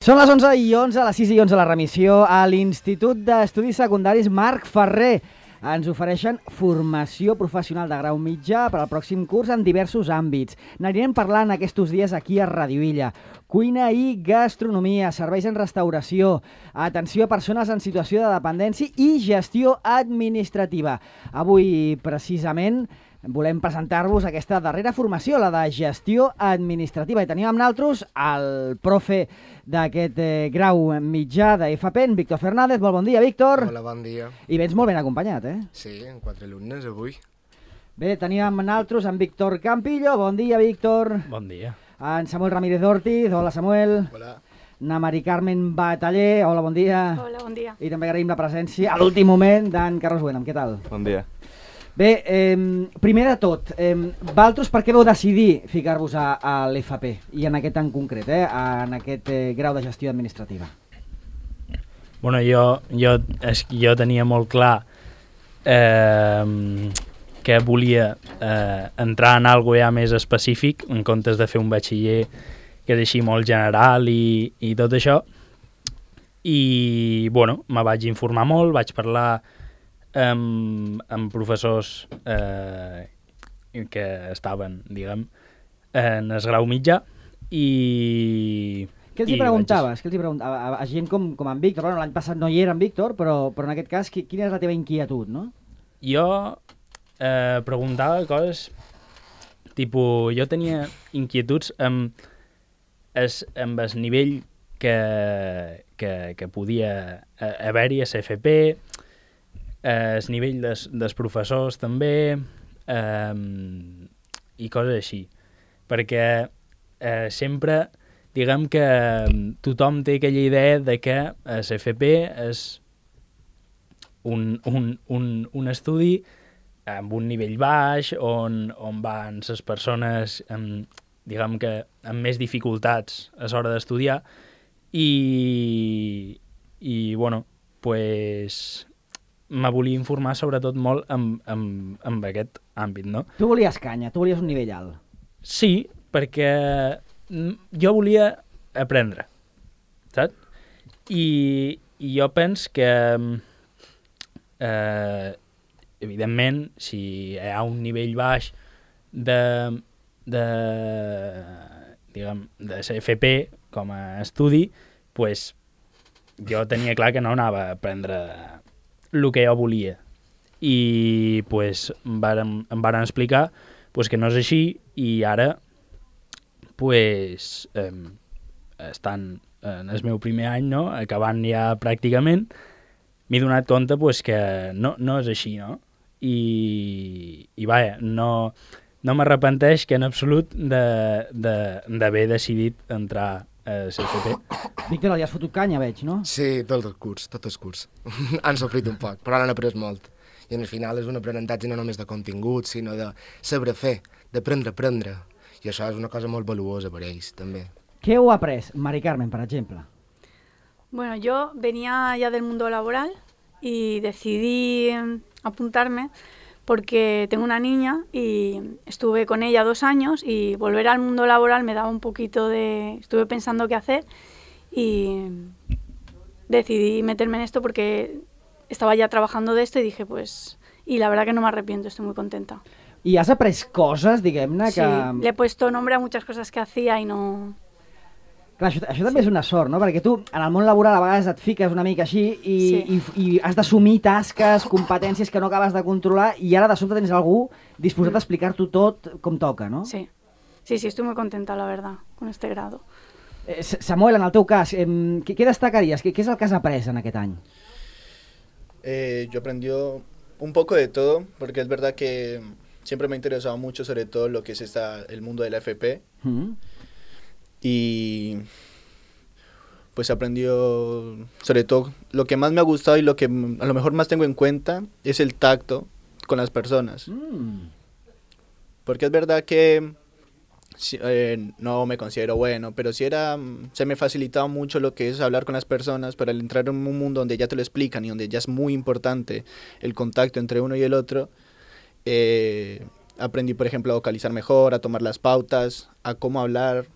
Són les 11:11, a les 6:11 la remissió. A l'Institut d'Estudis Secundaris Marc Ferrer ens ofereixen formació professional de grau mitjà per al pròxim curs en diversos àmbits. N'anirem parlant aquests dies aquí a Radio Illa. Cuina i gastronomia, serveis en restauració, atenció a persones en situació de dependència i gestió administrativa. Avui, precisament, volem presentar-vos aquesta darrera formació, la de gestió administrativa. I tenim amb nosaltres el profe d'aquest grau mitjà d'FP, en Víctor Fernández. Molt bon dia, Víctor. Hola, bon dia. I vens molt ben acompanyat, eh? Sí, amb 4 alumnes avui. Bé, tenim amb nosaltres en Víctor Campillo. Bon dia, Víctor. Bon dia. En Samuel Ramírez Ortiz. Hola, Samuel. Hola. Na Mari Carmen Bataller. Hola, bon dia. Hola, bon dia. I també agraïm la presència a l'últim moment d'en Carlos Buenam. Què tal? Bon dia. Bé, primer de tot, vosaltres per què vau decidir ficar-vos a l'FP i en aquest en concret, en aquest grau de gestió administrativa? Bueno, jo tenia molt clar que volia entrar en algo ja més específic en comptes de fer un batxiller que és així molt general i tot això. I, bueno, me vaig informar molt, vaig parlar amb professors que estaven, diguem, en el grau mitjà i... Què els hi preguntaves? A gent com en Víctor? Bueno, l'any passat no hi era en Víctor, però en aquest cas, quina és la teva inquietud, no? Jo preguntava coses, tipus, jo tenia inquietuds amb el nivell que podia haver-hi a CFP, el nivell dels professors també, i coses així. Perquè sempre, diguem que tothom té aquella idea de que el CFP és un estudi amb un nivell baix, on van les persones, diguem que amb més dificultats a l'hora d'estudiar, i bueno, pues me volia informar sobretot molt amb aquest àmbit, no? Tu volies canya, tu volies un nivell alt. Sí, perquè jo volia aprendre, saps? I jo penso que, evidentment, si hi ha un nivell baix de CFP com a estudi, pues, jo tenia clar que no anava a aprendre el que jo volia. I pues, em varen explicar pues, que no és així, i ara pues, estant en el meu primer any, no? Acabant ja pràcticament, m'he donat compte pues, que no és així, no? I vaja, no m'arrepenteix que en absolut d'haver decidit entrar a CFP. Víctor, li has fotut canya, veig, no? Sí, tot el curs. Han sofrit un poc, però han après molt. I al final és un aprenentatge no només de contingut, sinó de saber fer, d'aprendre a aprendre. I això és una cosa molt valuosa per ells, també. Què heu après, Mari Carmen, per exemple? Bueno, yo venía ya del mundo laboral y decidí apuntarme porque tengo una niña y estuve con ella 2 años y volver al mundo laboral me daba un poquito de... Estuve pensando qué hacer y decidí meterme en esto porque estaba ya trabajando de esto y dije, pues... Y la verdad que no me arrepiento, estoy muy contenta. I has après coses, diguem-ne, que... Sí, le he puesto nombre a muchas cosas que hacía y no... Clar, això també és una sort, no? Perquè tu, en el món laboral, a vegades et fiques una mica així i has d'assumir tasques, competències que no acabes de controlar, i ara de sobte tens algú disposat a explicar-t'ho tot com toca, no? Sí, estoy muy contenta, la verdad, con este grado. Samuel, en el teu cas, què destacaries? Què és el que has après en aquest any? Yo aprendí un poco de todo, porque es verdad que siempre me ha interesado mucho, sobre todo lo que es el mundo de la FP. Y pues aprendió, sobre todo, lo que más me ha gustado y lo que a lo mejor más tengo en cuenta es el tacto con las personas. Porque es verdad que no me considero bueno, pero se me facilitaba mucho lo que es hablar con las personas, pero al entrar en un mundo donde ya te lo explican y donde ya es muy importante el contacto entre uno y el otro, aprendí, por ejemplo, a vocalizar mejor, a tomar las pautas, a cómo hablar.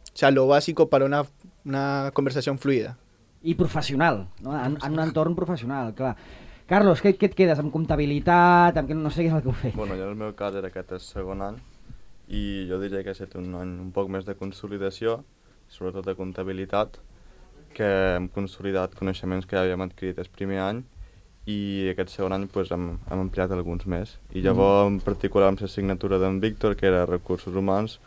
O sea, lo básico para una una conversación fluida. I professional, no? En un entorn professional, clar. Carlos, què et quedes? Amb comptabilitat? Amb què no sé què és el que heu fet? Bueno, jo en el meu cas era aquest el segon any i jo diria que ha estat un any un poc més de consolidació, sobretot de comptabilitat, que hem consolidat coneixements que ja havíem adquirit el primer any i aquest segon any pues, hem ampliat alguns més. I llavors, en particular amb l'assignatura d'en Víctor, que era Recursos Humans,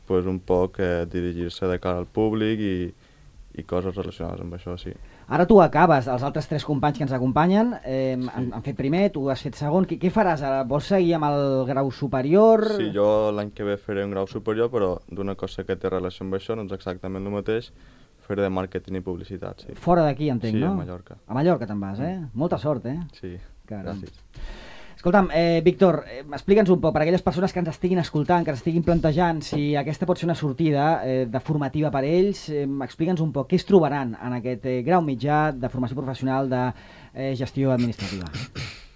pues, un poc dirigir-se de cara al públic i coses relacionades amb això, sí. Ara tu acabes, els altres 3 companys que ens acompanyen han fet primer, tu has fet segon. Què faràs ara? Vols seguir amb el grau superior? Sí, jo l'any que ve faré un grau superior, però d'una cosa que té relació amb això, no és exactament el mateix, fer de màrqueting i publicitat, sí. Fora d'aquí, entenc, sí, no? Sí, a Mallorca. A Mallorca te'n vas, Molta sort, Sí, caram. gràcies. Escolta'm, Víctor, explica'ns un poc, per a aquelles persones que ens estiguin escoltant, que ens estiguin plantejant, si aquesta pot ser una sortida de formativa per a ells, explica'ns un poc què es trobaran en aquest grau mitjà de formació professional de gestió administrativa.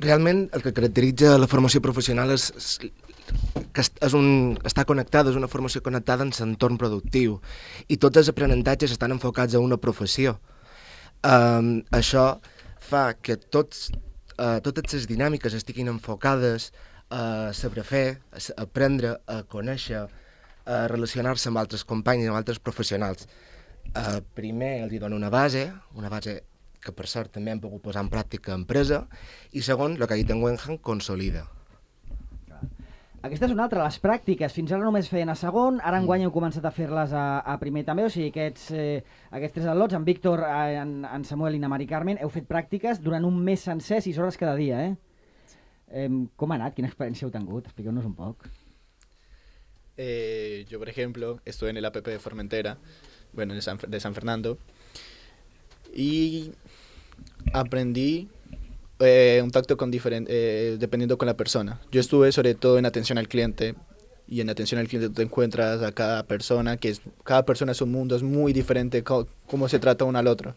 Realment el que caracteritza la formació professional és que està connectada, és una formació connectada en l'entorn productiu i tots els aprenentatges estan enfocats a una professió. Això fa que totes les dinàmiques estiguin enfocades a saber fer, a aprendre, a conèixer, a relacionar-se amb altres companys i amb altres professionals. Primer els dono una base que per cert també hem pogut posar en pràctica a empresa, i segon, el que ha dit en Wenham, consolida. Aquesta és una altra, les pràctiques. Fins ara només feien a segon, ara enguany heu començat a fer-les a primer també, o sigui, aquests 3 al·lots, en Víctor, en Samuel i na Mari Carmen, heu fet pràctiques durant un mes sencer, 6 hores cada dia, Com ha anat? Quina experiència heu tingut? Expliqueu-nos un poc. Yo, por ejemplo, estuve en el APP de Formentera, bueno, de San Fernando, y aprendí un tacto dependiendo con la persona. Yo estuve sobre todo en atención al cliente, y en atención al cliente tú te encuentras a cada persona, cada persona es un mundo, es muy diferente cómo se trata uno al otro.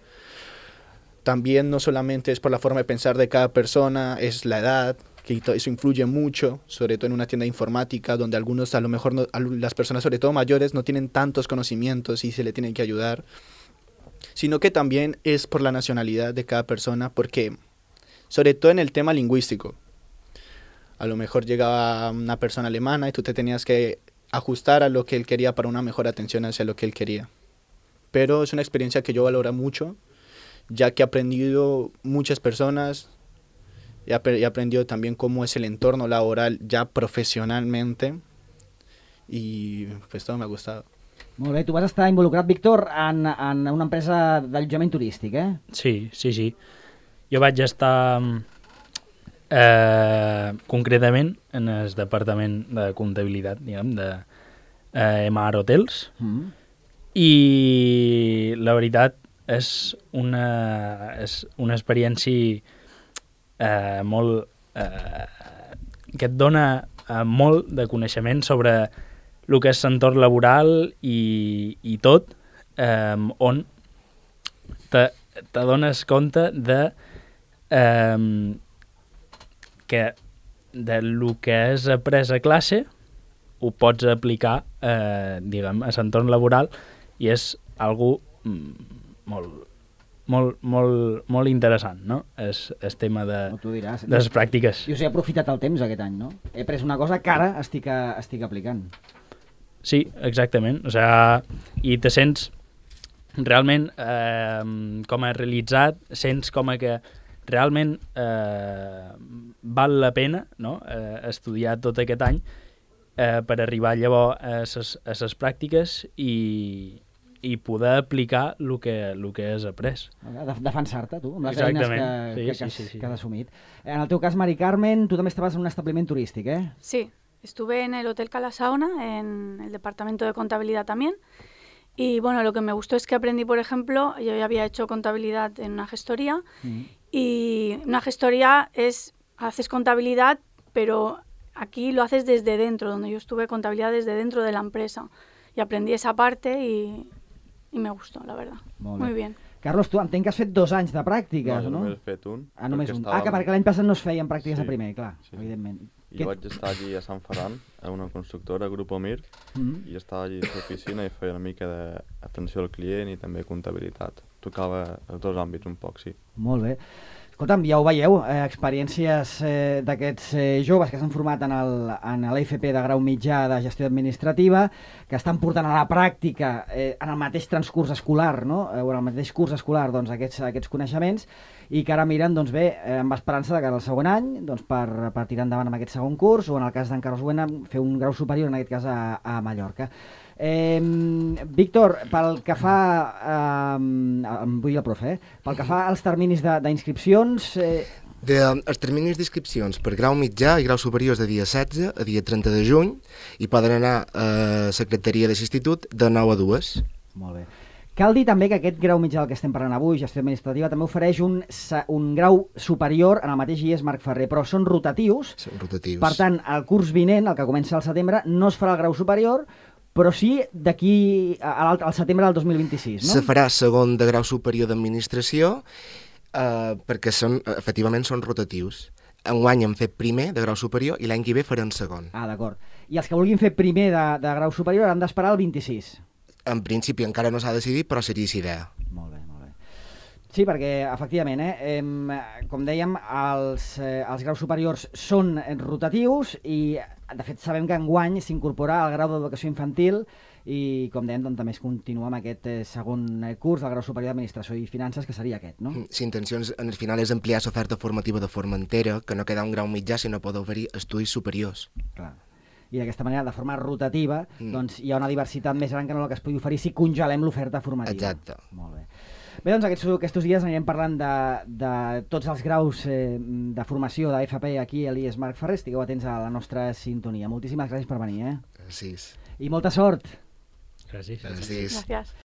También no solamente es por la forma de pensar de cada persona, es la edad, que eso influye mucho, sobre todo en una tienda de informática, donde algunos, a lo mejor, las personas, sobre todo mayores, no tienen tantos conocimientos y se le tienen que ayudar, sino que también es por la nacionalidad de cada persona, porque sobre todo en el tema lingüístico. A lo mejor llegaba una persona alemana y tú te tenías que ajustar a lo que él quería para una mejor atención hacia lo que él quería. Pero es una experiencia que yo valoro mucho, ya que he aprendido muchas personas, he aprendido también cómo es el entorno laboral ya profesionalmente, y pues todo me ha gustado. Molt bé, tu vas estar involucrat, Víctor, en una empresa d'allotjament turístic, Sí. Jo vaig estar concretament en el departament de comptabilitat, diguem, de MR Hotels, i la veritat és una experiència molt que et dona molt de coneixement sobre el que és l'entorn laboral i tot, on t'adones compte de que del que has après a classe ho pots aplicar diguem, a l'entorn laboral, i és algo molt interessant, no? El tema de les pràctiques. Jo he aprofitat el temps aquest any, no? He après una cosa que ara estic aplicant. Sí, exactament. O sigui, i te sents realment com a realitzat, sents com a que realment val la pena, no? Estudiar tot aquest any per arribar llavors a les pràctiques i poder aplicar el que has après. Defensar-te, tu, amb les eines que has assumit. En el teu cas, Mari Carmen, tu també estaves en un establiment turístic, Sí, estuve en el Hotel Cala Saona, en el departamento de contabilidad también. Y bueno, lo que me gustó es que aprendí, por ejemplo, yo ya había hecho contabilidad en una gestoría, y una gestoría haces contabilidad, pero aquí lo haces desde dentro, donde yo estuve contabilidad desde dentro de la empresa. Y aprendí esa parte y me gustó, la verdad. Muy bien. Carlos, tu entenc que has fet 2 anys de pràctiques, no? No, només he fet un. Només un. Que perquè l'any passat no es feien pràctiques a primer, clar, evidentment. Jo vaig estar allí a Sant Ferran, a una constructora, Grup Omir, i estava allí a l'oficina i feia una mica d'atenció al client i també comptabilitat. Tocava els dos àmbits un poc, sí. Molt bé. Escolta'm, ja ho veieu, experiències d'aquests joves que s'han format en l'EFP de grau mitjà de gestió administrativa, que estan portant a la pràctica en el mateix transcurs escolar, no? O en el mateix curs escolar, doncs, aquests coneixements, i que ara miren, doncs bé, amb esperança de que el segon any, doncs, per tirar endavant amb aquest segon curs, o en el cas d'en Carlos Buena, fer un grau superior, en aquest cas a Mallorca. Víctor, pel que fa vull dir el profe, pel que fa als terminis d'inscripcions... Els terminis d'inscripcions per grau mitjà i grau superior és de dia 16 a dia 30 de juny i poden anar a secretaria de l'institut de 9 a 2. Molt bé. Cal dir també que aquest grau mitjà del que estem parlant avui, gestió administrativa, també ofereix un grau superior en el mateix IES Marc Ferrer, però són rotatius. Són rotatius. Per tant, el curs vinent, el que comença al setembre, no es farà el grau superior, però sí d'aquí al setembre del 2026, no? Se farà segon de grau superior d'administració perquè efectivament són rotatius. Enguany hem fet primer de grau superior i l'any que ve farem segon. Ah, d'acord. I els que vulguin fer primer de grau superior han d'esperar el 26? En principi encara no s'ha decidit, però seria aquesta idea. Molt bé, molt bé. Sí, perquè, efectivament, com dèiem, els graus superiors són rotatius i, de fet, sabem que enguany s'incorpora al grau d'educació infantil i, com dèiem, doncs, també es continua amb aquest segon curs del grau superior d'administració i finances, que seria aquest, no? L'intenció, al final, és ampliar l'oferta formativa de Formentera, que no queda un grau mitjà, sinó pot oferir estudis superiors. Clar. I d'aquesta manera, de forma rotativa, doncs hi ha una diversitat més gran que no la que es pugui oferir si congelem l'oferta formativa. Exacte. Molt bé. Bé, doncs aquests dies anirem parlant de tots els graus de formació d'FP aquí a l'IES Marc Ferrer. Estigueu atents a la nostra sintonia. Moltíssimes gràcies per venir. Gràcies. I molta sort. Gràcies. Gràcies. Gràcies.